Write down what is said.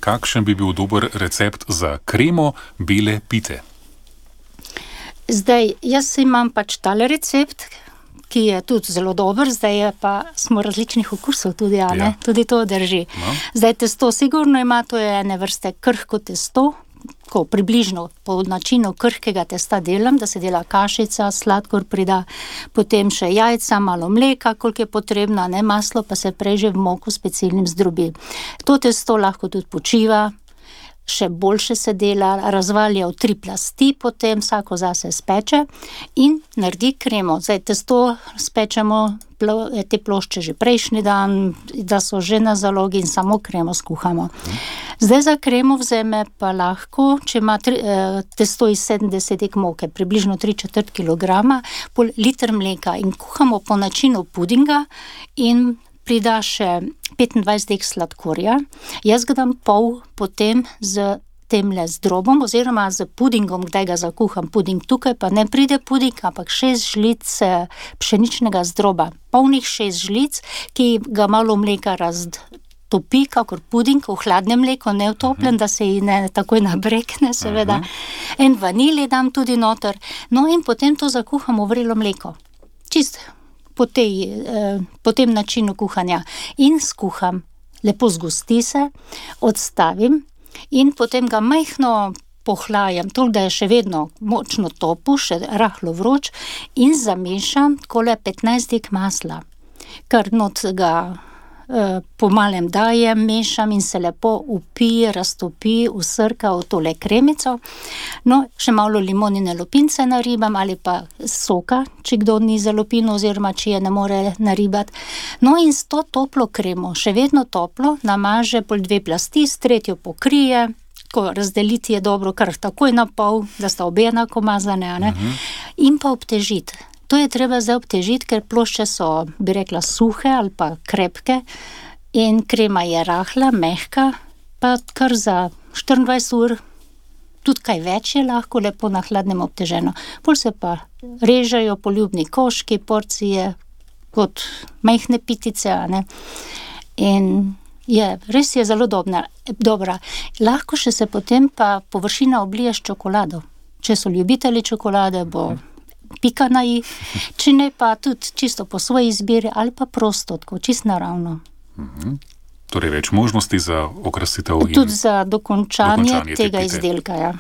Kakšen bi bil dober recept za kremo bele pite? Zdaj, jaz imam pač tale recept, ki je tudi zelo dober, zdaj je pa smo različnih okusov tudi, a ne? Ja. Tudi to drži. No. Zdaj, testo sigurno ima, to je ene vrste krhko testo, ko približno po načinu krhkega testa delam, da se dela kašica, sladkor prida, potem še jajca, malo mleka, koliko je potrebno, ne, maslo pa se preže v moku s specialnim zdrobi. To testo lahko tudi počiva, še boljše se dela, razvalja v 3 plasti, potem vsako zase speče in naredi kremo. Zdaj, testo spečemo te plošče že prejšnji dan, da so že na zalogi in samo kremo skuhamo. Zdaj za kremo vzeme pa lahko, če ima testo iz 70 moke, približno 3/4 kilograma, pol liter mleka in kuhamo po načinu pudinga in prida še 25 dek sladkorja. Jaz ga dam pol potem z temle zdrobom oziroma z pudingom, kdaj ga zakuham puding. Tukaj pa ne pride puding, ampak 6 žlic pšeničnega zdroba. Polnih 6 žlic, ki ga malo mleka raztopi, kakor puding, v hladnem mleku, ne v toplem, da se ji ne takoj nabrekne, seveda. En vanilij dam tudi noter. No in potem to zakuham v vrelo mleko. Čist po tem načinu kuhanja. In skuham. Lepo zgosti se, odstavim in potem ga majhno pohlajam, toliko, da je še vedno močno topu, še rahlo vroč in zamešam takole 15 dek masla. Kar not ga po malem dajem, mešam in se lepo vpije, raztopi, usrka v tole kremico. No, še malo limonine lupince naribam ali pa soka, če kdo ni za lupino oziroma če je ne more naribati. No in s to toplo kremo, še vedno toplo, namaže pol 2 plasti, s tretjo pokrije, ko razdeliti je dobro kar takoj na pol, da sta obe enako mazane, a ne? In pa obtežiti. To je treba zdaj obtežiti, ker plošče so, bi rekla, suhe ali pa krepke in krema je rahla, mehka, pa kar za 24 ur, tudi kaj več je lahko, lepo na hladnem obteženo. Pol se pa režejo poljubni koški, porcije, kot majhne pitice, a ne. In res je zelo dobra. Lahko še se potem pa površina oblije s čokolado. Če so ljubitelji čokolade, bo pika na i, če ne pa tudi čisto po svoji izbiri ali pa prosto, tako čisto naravno. Torej več možnosti za okrasitev in tudi za dokončanje tega te pite. izdelka, ja.